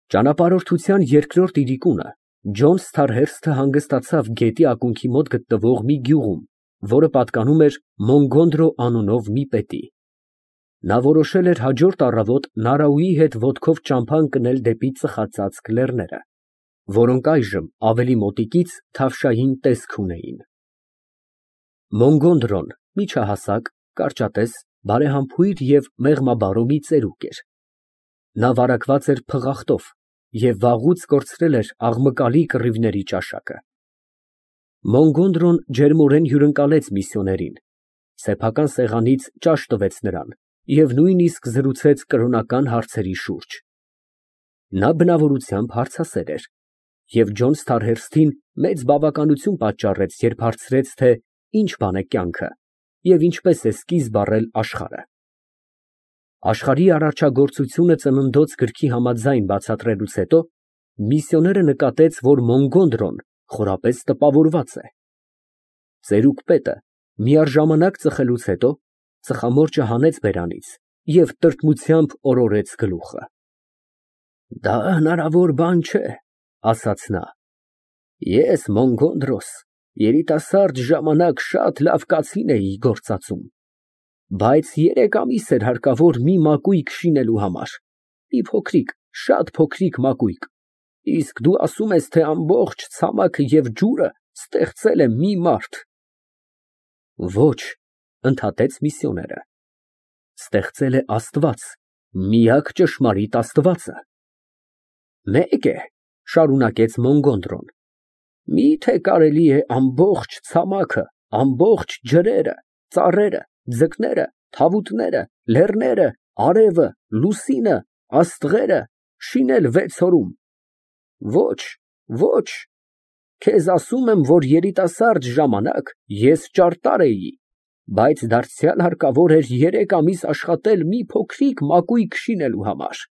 Ճանապարհորդության երկրորդ իրիկունը Ջոն Սթարհերսթը հանգստացավ գետի ակունքի մոտ գտնվող մի գյուղում, որը պատկանում էր Մոնգոնդրո անունով մի պետի։ Նա որոշել էր հաջորդ առավոտ Նարաուի հետ ոտքով ճամփա ընկնել դեպի ծխածածկ լեռները, որոնք այժմ ավելի մոտիկից թավշային տեսք ունեին։ Մոնգոնդրոն միջահասակ, կարճատես, բարեհամբույր և մեղմաբարո մի ծերուկ էր։ Նա վարակված էր փղախտով և վաղուց կորցրել էր աղմկալի կռիվների ճաշակը։ Մոնգոնդրոն ջերմորեն հյուրընկալեց միսիոներին, սեփական սեղանից ճաշ տվեց նրան և նույնիսկ զրուցեց կրոնական հարցերի շուրջ։ Նա բնավորությամբ հարցասեր էր, և Ջոն Սթարհերսթին մեծ բավականություն պատճառեց, երբ հարցրեց, թե ինչ բան է կյանքը և ինչպես է սկիզբ առել աշխարհը։ Աշխարհի արարչագործությունը ծննդոց գրքի համաձայն բացատրելուց հետո միսիոները նկատեց, որ Մոնգոնդրոն խորապես տպավորված է։ Ծերուկ պետը միաժամանակ ծխելուց հետո ծխամորճը հանեց բերանից և տրտմությամբ օրորեց գլուխը։ «Դա հնարավոր բան չէ», ասաց նա։ «Ես Մոնգոնդրոս երիտասարդ ժամանակ շատ լավ կացին էի գործածում, բայց 3 ամիս էր հարկավոր մի մակույկ շինելու համար, մի փոքրիկ, շատ փոքրիկ մակույկ, իսկ դու ասում ես, թե ամբողջ ցամաքը և ջուրը ստեղծել է մի մարդ»։ «Ոչ», ընդհատեց միսիոները, «ստեղծել է Աստված, միակ ճշմարիտ Աստվածը»։ «Մեկ է», շարունակեց Մոնգոնդրոն, «միթե կարելի է ամբողջ ցամաքը, ամբողջ ջրերը, ծառերը, ձկները, թավուտները, լեռները, արևը, լուսինը, աստղերը շինել 6 օրում։ Ոչ, ոչ, քեզ ասում եմ, որ երիտասարդ ժամանակ ես ճարտար էի, բայց դարձյալ հարկավոր էր 3 ամիս աշխատել մի փոքրիկ մակույկ շինելու համար։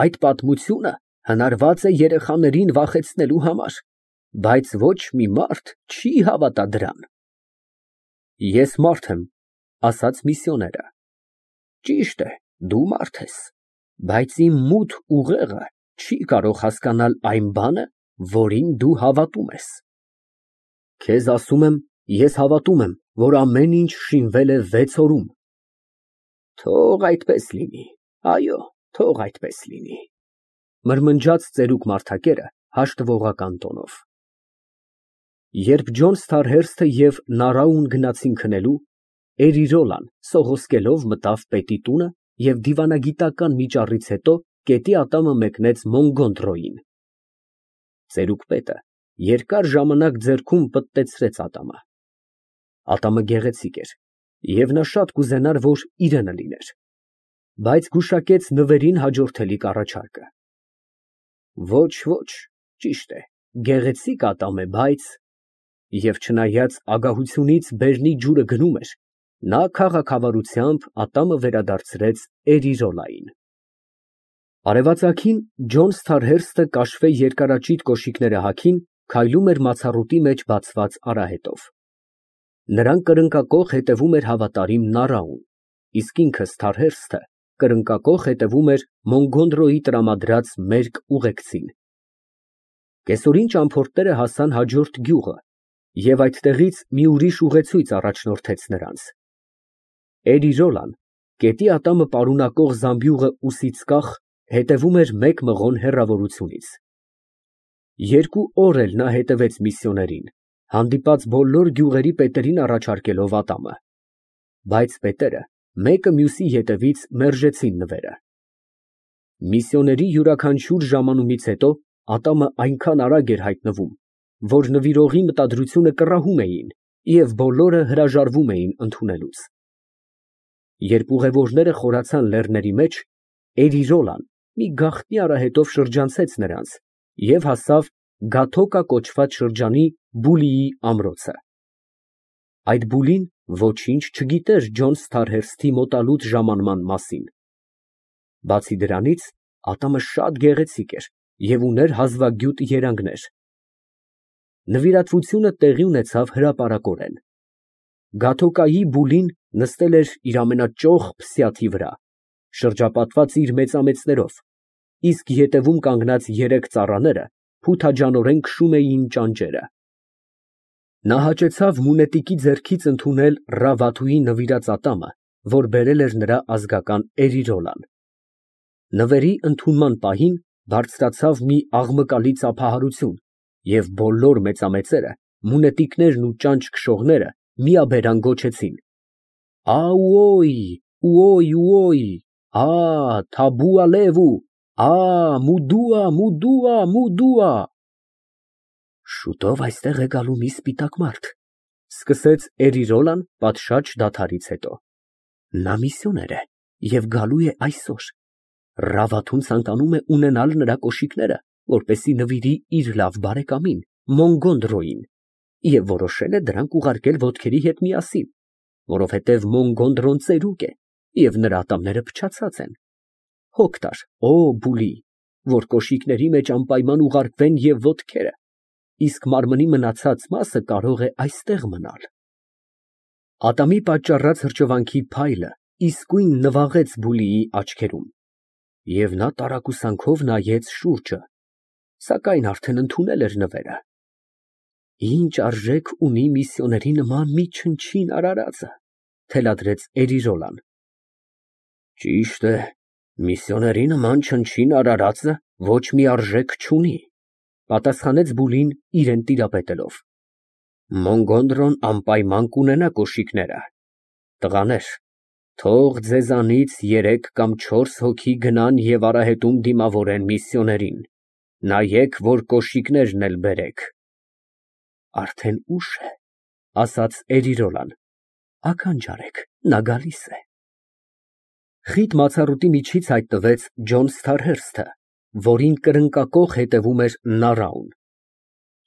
Այդ պատմությունը հնարված է երեխաներին վախեցնելու համար, բայց ոչ մի մարդ չի հավատա դրան»։ «Ես մարդ եմ», ասաց միսիոները։ «Ճիշտ է, դու մարդ ես, բայց իմ մութ ուղեղը չի կարող հասկանալ այն բանը, որին դու հավատում ես»։ «Քեզ ասում եմ, ես հավատում եմ, որ ամեն ինչ շինվել է 6 օրում»։ «Թող այդպես լինի, այո, թող այդպես լինի», մրմնջաց ծերուկ մարդակերը հաշտվողական տոնով։ Երբ Ջոն Սթարհերսթը և Նարաուն գնացին քնելու, Էրիրոլան սողոսկելով մտավ պետի տունը և դիվանագիտական մի ճառից հետո կետի ատամը մեկնեց Մոնգոնդրոյին։ Ծերուկ պետը երկար ժամանակ ձեռքում պտտեցրեց ատամը։ Ատամը գեղեցիկ էր, և նա շատ կուզենար, որ իրենը լիներ, բայց գուշակեց նվերին հաջորդելիք առաջարկը։ «Ոչ, ոչ, ճիշտ է, գեղեցիկ ատամ է, բայց…» Եվ չնայած ագահությունից բերնի ջուրը գնում էր, նա քաղաքավարությամբ ատամը վերադարձրեց Էրիրոլային։ Արևածագին Ջոն Սթարհերսթը կաշվե երկարաճիտ կոշիկները հագին քայլում էր մացառուտի մեջ բացված արահետով։ Նրան կրնկակոխ հետևում էր հավատարիմ Նարաուն, իսկ ինքը Սթարհերսթը կրկնակոխ հետևում էր Մոնգոնդրոյի տրամադրած մերկ ուղեկցին։ Կեսօրին ճամփորդները հասան հաջորդ գյուղը և այդտեղից մի ուրիշ ուղեցույց առաջնորդեց նրանց։ Էրիրոլան, գետի ատամը պարունակող զամբյուղը ուսից կախ, հետևում էր մեկ մղոն հեռավորությունից։ 2 օր էլ նա հետևեց միսիոներին, հանդիպած բոլոր գյուղերի պետերին առաջարկելով ատամը։ Բայց պետերը մեկը մյուսի ետևից մերժեցին նվերը։ Միսիոների յուրաքանչյուր ժամանումից հետո ատամը այնքան արագ էր հայտնվում, որ նվիրողի մտադրությունը կռահում էին և բոլորը հրաժարվում էին ընդունելուց։ Երբ ուղևորները խորացան լեռների մեջ, Էրիրոլան մի գաղտնի արահետով շրջանցեց նրանց և հասավ Գաթոկա կոչված շրջանի Բուլիի ամրոցը։ Այդ Բուլին ոչինչ չգիտեր Ջոն Սթարհերսթի մոտալուտ ժամանման մասին։ Բացի դրանից, ատամը շատ գեղեցիկ էր և ուներ հազվագյուտ երանգներ։ Նվիրատվությունը տեղի ունեցավ հրապարակորեն։ Գաթոկայի Բուլին նստել էր իր ամենաճոխ փսյաթի վրա, շրջապատված իր մեծամեծներով, իսկ ետևում կանգնած երեք ծառաները փութաջանորեն քշում էին ճանճերը։ Նա հաճեցավ մունետիկի ձեռքից ընդունել Ռավաթուի նվիրած ատամը, որ բերել էր նրա ազգական Էրիրոլան։ Նվերի ընդունման պահին բարձրացավ մի աղմկալի ծափահարություն, և բոլոր մեծամեծերը, մունետիկներն ու ճանճ քշողները միաբերան գոչեցին. «Աուոյ, ուոյ, ուոյ, ա, Թաբու Ալևու, ա, Մուդուա, Մուդուա, Մուդուա»։ Շուտով այստեղ է գալու մի սպիտակ մարդ, սկսեց Էրիրոլան պատշաճ դադարից հետո։ Նա միսիոներ է և գալու է այսօր։ Ռավաթուն ցանկանում է ունենալ նրա կոշիկները, որպեսզի նվիրի իր լավ բարեկամին Մոնգոնդրոյին, և որոշել է դրանք ուղարկել ոտքերի հետ միասին, որովհետև Մոնգոնդրոն ծերուկ է և նրա ատամները փչացած են։ Հոգ տար, օ Բուլի, որ կոշիկների մեջ անպայման ուղարկվեն և ոտքերը, իսկ մարմնի մնացած մասը կարող է այստեղ մնալ։ Ատամի պատճառած հրճվանքի փայլը իսկույն նվաղեց Բուլիի աչքերում, և նա տարակուսանքով նայեց շուրջը, սակայն արդեն ընդունել էր նվերը։ Ինչ արժեք ունի միսիոների նման մի չնչին արարածը, թելադրեց Էրիրոլան։ Ճիշտ է, միսիոների նման չնչին արարածը ոչ մի արժեք չունի, պատասխանեց Բուլին իրան տիրապետելով։ Մոնգոնդրոն անպայման կունենա կոշիկները։ Տղաներ, թող ձեզանից 3 կամ 4 հոգի գնան և արահետում դիմավորեն միսիոներին, նայեք, որ կոշիկներն էլ բերեք։ Արդեն ուշ է, ասաց Էրիրոլան, ականջ արեք, նա գալիս է։ Խիտ մացառուտի միջից հայտնվեց Ջոն Սթարհերսթը, որին կրնկակոխ հետևում էր Նարաուն։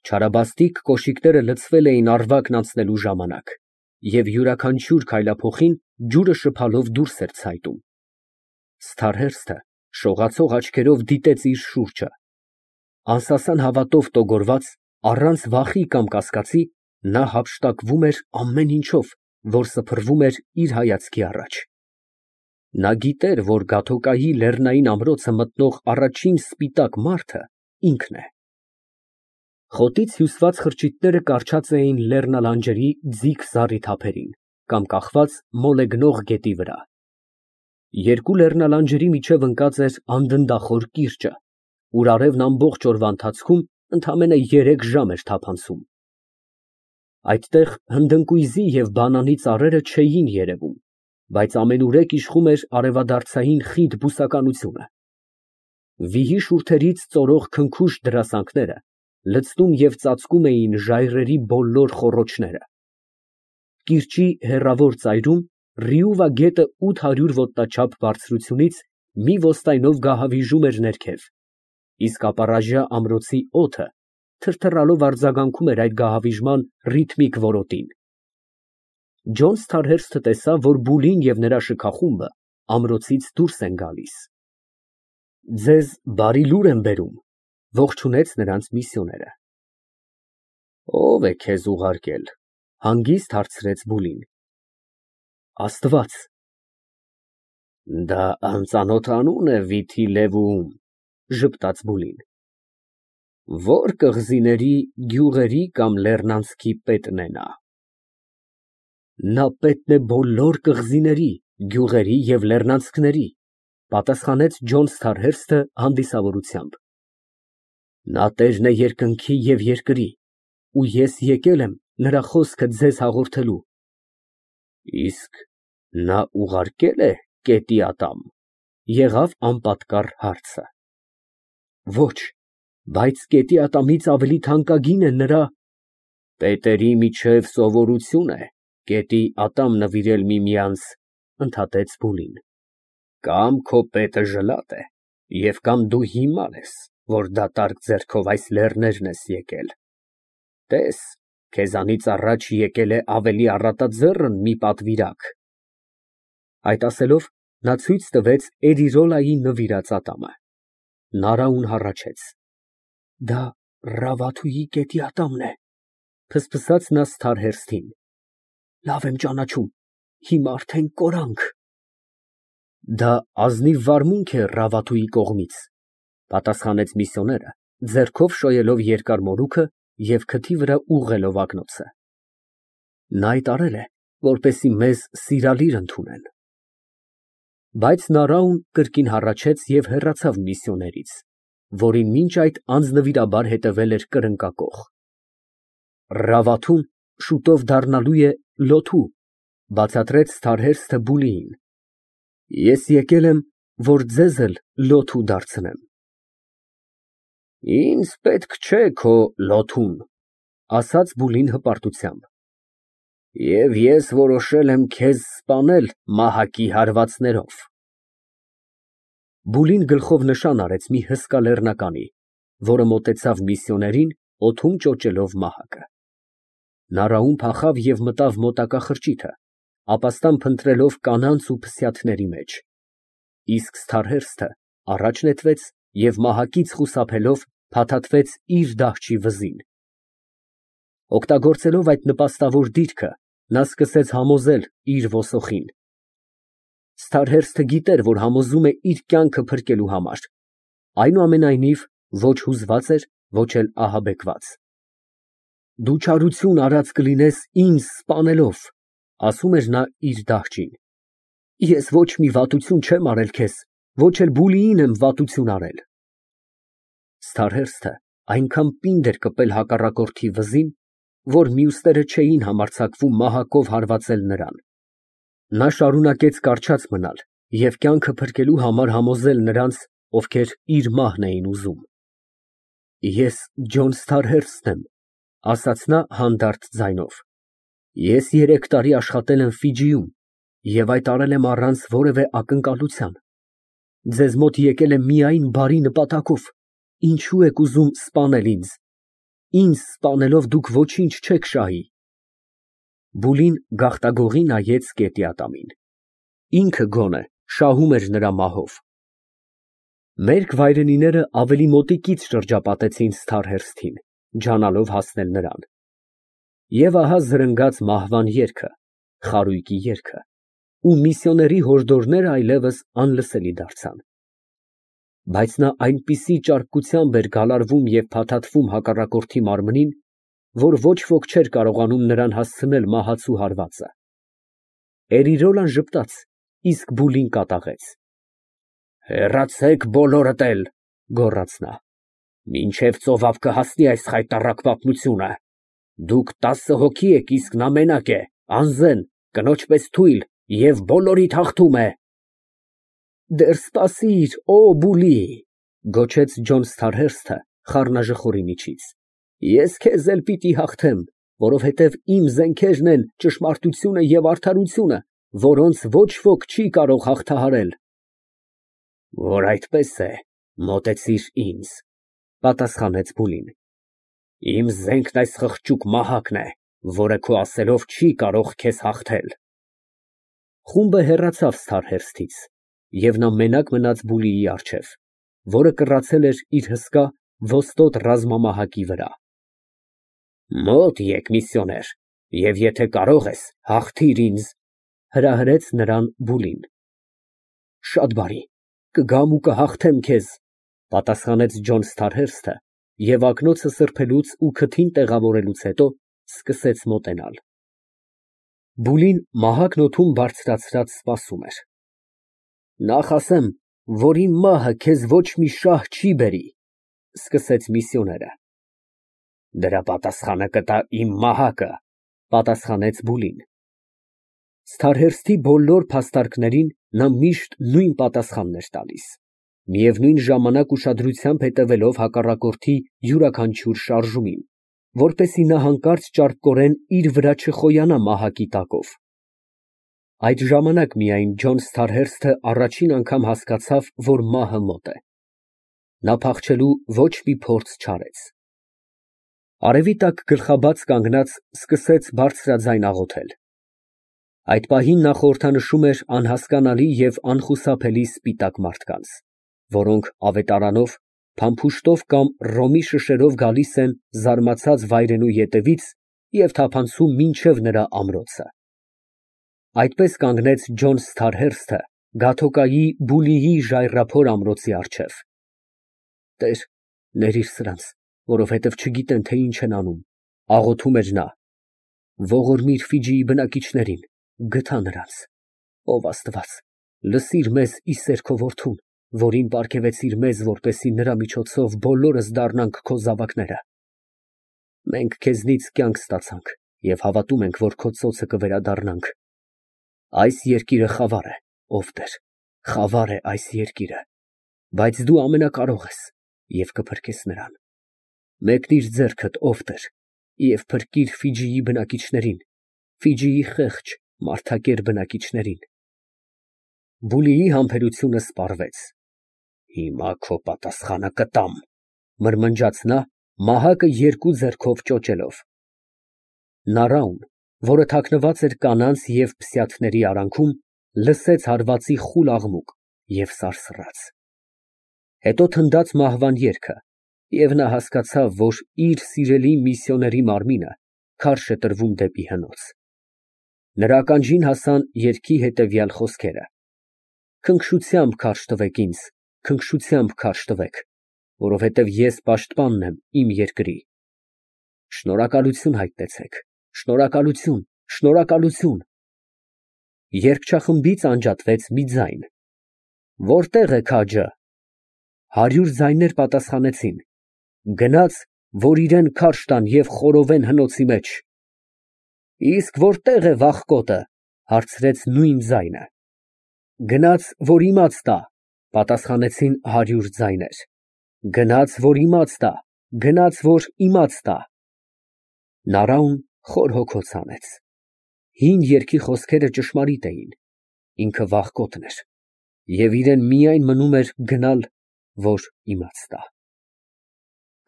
Չարաբաստիկ կոշիկները լցվել էին առվակն անցնելու ժամանակ, և յուրաքանչյուր քայլափոխին ջուրը շփալով դուրս էր ցայտում։ Սթարհերսթը շողացող աչքերով դիտեց իր շուրջը։ Անսասան հավատով տոգորված, առանց վախի կամ կասկածի, նա հափշտակվում էր ամեն ինչով, որ սփռվում էր իր հայացքի առաջ։ Նա գիտեր, որ Գաթոկայի լեռնային ամրոցը մտնող առաջին սպիտակ մարդը ինքն է։ Խոտից հյուսված խրճիթները կառչած էին լեռնալանջերի ձիգ զառիթափերին կամ կախված մոլեգնող գետի վրա։ Երկու լեռնալանջերի միջև ընկած էր անդնդախոր կիրճը, ուր արևն ամբողջ օրվա ընթացքում ընդամենը 3 ժամ էր թափանցում։ Այդտեղ հնդընկույզի և բանանի ծառերը չէին երևում, բայց ամենուրեք իշխում էր արևադարձային խիտ բուսականությունը։ Վիհի շուրթերից ծորող քնքուշ դրասանքները լցնում և ծածկում էին ժայռերի բոլոր խոռոչները։ Կիրճի հեռավոր ծայրում Ռիուվա գետը 800 ոտնաչափ բարձրությունից մի ոստայնով գահավիժում էր ներքև, իսկ ապառաժյա ամրոցի օդը թրթռալով արձագանքում էր այդ գահավիժման ռիթմիկ որոտին։ Ջոն Սթարհերսթը տեսավ, որ Բուլին և նրա շքախումբը ամրոցից դուրս են գալիս։ Ձեզ բարի լուր եմ բերում, ողջունեց նրանց միսիոները։ Ո՞վ է քեզ ուղարկել, հանգիստ հարցրեց Բուլին։ Աստված։ Դա անծանոթ անուն է վիթի լևուում, ժպտաց Բուլին։ Ո՞ր կղզիների, գյուղերի կամ լեռնանցքի պետն է նա։ Նա պետն է բոլոր կղզիների, գյուղերի և լեռնանցքների, պատասխանեց Ջոն Սթարհերսթը հանդիսավորությամբ։ Նա տերն է երկնքի և երկրի, ու ես եկել եմ նրա խոսքը ձեզ հաղորդելու։ Իսկ նա ուղարկե՞լ է կետի ատամ, եղավ անպատկառ հարցը։ Ոչ, բայց կետի ատամից ավելի թանկագին է նրա… Պետերի միջև սովորություն է կետի ատամ նվիրել միմյանց, ընդհատեց Բուլին։ Կամ քո պետը ժլատ է, և կամ դու հիմար ես, որ դատարկ ձեռքով այս լեռներն ես եկել։ Տես, քեզանից առաջ եկել է ավելի առատաձեռն մի պատվիրակ։ Այդ ասելով, նա ցույց տվեց Էրիրոլայի նվիրած ատամը։ Նարաուն հառաչեց։ Դա Ռավաթուի կետի ատամն է, ֆսֆսաց նա Սթարհերսթին։ Լավ եմ ճանաչում, հիմա արդեն կորանք։ Դա ազնիվ վարմունք է Ռավաթուի կողմից, Պատասխանեց միսիոները, ձեռքով շոյելով երկար մորուքը և քթի վրա ուղղելով ակնոցը։ Նա այդ արել է, որպեսզի մեզ սիրալիր ընդունեն։ Բայց Նարաուն կրկին հառաչեց և հեռացավ միսիոներից, որին մինչ այդ անձնվիրաբար հետևել էր կրկնակոխ։ Ռավաթուն շուտով դառնալու է լոթու, բացատրեց Ստարհերստը Բուլիին։ Ես եկել եմ, որ ձեզ էլ լոթու դարձնեմ։ Ինձ պետք չէ քո լոթուն, ասաց Բուլին հպարտությամբ, և ես որոշել եմ քեզ սպանել մահակի հարվածներով։ Բուլին գլխով նշան արեց մի հսկա լեռնականի, որը մոտեցավ միսիոներին, օդում ճոճելով մահակը։ Նարաուն փախավ և մտավ մոտակա խրճիթը, ապաստան փնտրելով կանանց ու փսյաթների մեջ, իսկ Ստարհերստը առաջ նետվեց և մահակից խուսափելով փաթաթվեց իր դահչի վզին։ Օգտագործելով այդ նպաստավոր դիրքը, նա սկսեց համոզել իր ոսոխին։ Ստարհերստը գիտեր, որ համոզում է իր կյանքը փրկելու համար, այնուամենայնիվ ոչ հուզված էր, ոչ էլ ահաբեկված։ Դու չարություն արած կլինես ինձ սպանելով, ասում էր նա իր դահչին։ Ես ոչ մի վատություն չեմ արել քեզ, ոչ էլ Բուլիին եմ վատություն արել։ Ստարհերստը այնքան պինդ էր կպել հակառակորդի վզին, որ մյուսները չէին համարձակվում մահակով հարվածել նրան։ Նա շարունակեց կառչած մնալ և կյանքը փրկելու համար համոզել նրանց, ովքեր իր մահն էին ուզում։ Ես Ջոն Ստարհերստն եմ, ասաց նա հանդարտ ձայնով։ Ես 3 տարի աշխատել եմ Ֆիջիում և այդ արել եմ առանց որևէ ակնկալության։ Ձեզ մոտ եկել եմ միայն բարի նպատակով, ինչո՞ւ եք ուզում սպանել ինձ։ Ինձ սպանելով դուք ոչինչ չեք շահի։ Բուլին գաղտագողի նայեց կետի ատամին։ Ինքը գոնե շահում էր նրա մահով։ Մերկ վայրենիները ավելի մոտիկից շրջապատեցին Ստարհերստին, ջանալով հասնել նրան։ Եվ ահա զրնգաց մահվան երգը, խարույկի երգը, ու միսիոների հորդորները այլևս անլսելի դարձան։ Բայց նա այնպիսի ճարպկությամբ էր գալարվում և փաթաթվում հակառակորդի մարմնին, որ ոչ ոք չէր կարողանում նրան հասցնել մահացու հարվածը։ Էրիրոլան ժպտաց, իսկ Բուլին կատաղեց։ Հեռացեք բոլորդ էլ, գոռաց նա, մինչև ծովափ կհասնի այս խայտառակ պատմությունը։ Դուք 10 հոգի եք, իսկ նա մենակ է, անզեն, կնոջ պես թույլ և բոլորիդ հաղթում է։ Դեռ սպասիր, օ Բուլի, գոչեց Ջոն Ստարհերստը խառնաժխորի միջից։ Ես քեզ էլ պիտի հաղթեմ, որովհետև իմ զենքերն են ճշմարտությունը և արդարությունը, որոնց ոչ ոք չի կարող հաղթահարել։ Որ այդպես է, մոտեցիր ինձ, պատասխանեց Բուլին։ Իմ զենքն այս խղճուկ մահակն է, որը քո ասելով չի կարող քեզ հաղթել։ Խումբը հեռացավ Ստարհերստից, և նա մենակ մնաց Բուլիի առջև, որը կռացել էր իր հսկա ոստոտ ռազմամահակի վրա։ Մոտ եկ, միսիոներ, և եթե կարող ես, հաղթիր ինձ, հրահրեց նրան Բուլին։ Շատ բարի, կգամ ու կհաղթեմ քեզ, պատասխանեց Ջոն Ստարհերստը և ակնոցը սրբելուց ու քթին տեղավորելուց հետո սկսեց մոտենալ։ Բուլին մահակն օդում բարձրացրած սպասում էր։ Նախ ասեմ, որ իմ մահը քեզ ոչ մի շահ չի բերի, սկսեց միսիոները։ Դրա պատասխանը կտա իմ մահակը, պատասխանեց Բուլին։ Ստարհերստի բոլոր փաստարկներին նա միշտ նույն պատասխանն էր տալիս, միևնույն ժամանակ ուշադրությամբ հետևելով հակառակորդի յուրաքանչյուր շարժումին, որպեսզի նա հանկարծ ճարպկորեն իր վրա չխոյանա մահակի տակով։ Այդ ժամանակ միայն Ջոն Ստարհերստը առաջին անգամ հասկացավ, որ մահը մոտ է։ Նա փախչելու ոչ մի փորձ չարեց։ Արևի տակ գլխաբաց կանգնած սկսեց բարձրաձայն աղոթել։ Այդ պահին նա խորհրդանշում էր անհասկանալի և անխուսափելի սպիտակ մարդկանց, որոնք ավետարանով, փամփուշտով կամ ռոմի շշերով գալիս են զարմացած վայրենու ետևից և թափանցում մինչև նրա ամրոցը։ Այդպես կանգնեց Ջոն Ստարհերստը Գաթոկայի Բուլիի ժայռափոր ամրոցի առջև։ Տեր, ներիր սրանց, որովհետև չգիտեն, թե ինչ են անում, աղոթում էր նա։ Ողորմիր Ֆիջիի բնակիչներին, գթա նրանց։ Ով Աստված, լսիր մեզ Իսեր քո որդուն, որին պարգևեցիր մեզ, որպեսզի նրա միջոցով բոլորս դառնանք քո զավակները։ Մենք քեզնից կյանք ստացանք և հավատում ենք, որ քո ծոցը կվերադառնանք։ Այս երկիրը խավար է, ով Տեր, խավար է այս երկիրը, բայց դու ամենակարող ես և կփրկես նրան։ Մեկնիր ձեռքդ, ով Տեր, և փրկիր Ֆիջիի բնակիչներին, Ֆիջիի խեղճ, մարդակեր բնակիչներին։ Բուլիի համբերությունը սպառվեց։ Հիմա քո պատասխանը կտամ, մրմնջաց նա, մահակը երկու ձեռքով ճոճելով։ Նարաուն, որը թաքնված էր կանանց և փսյաթների արանքում, լսեց հարվածի խուլ աղմուկ և սարսռաց։ Հետո թնդաց մահվան երգը, և նա հասկացավ, որ իր սիրելի միսիոների մարմինը քարշ է տրվում դեպի հնոց։ Նրա ականջին հասան երգի հետևյալ խոսքերը. Քնքշությամբ քարշ տվեք ինձ, քնքշությամբ քարշ տվեք, որովհետև ես պաշտպանն եմ իմ երկրի։ Շնորհակալություն հայտնեցեք, շնորհակալություն, շնորհակալություն։ Երգչախմբից անջատվեց մի ձայն. Որտե՞ղ է քաջը։ 100 ձայներ պատասխանեցին. Գնաց, որ իրան քարշ տան և խորովեն հնոցի մեջ։ Իսկ որտե՞ղ է վախկոտը, հարցրեց նույն ձայնը։ Գնաց, որ իմաց տա, պատասխանեցին 100 ձայներ։ Գնաց, որ իմաց տա, գնաց, որ իմաց տա։ Նարաուն խոր հոգոց հանեց։ Հին երգի խոսքերը ճշմարիտ էին, ինքը վախկոտն էր, և իրան միայն մնում էր գնալ, որ իմաց տա։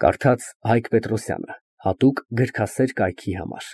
Կարդաց Հայկ Պետրոսյանը, հատուկ գրքասեր կայքի համար։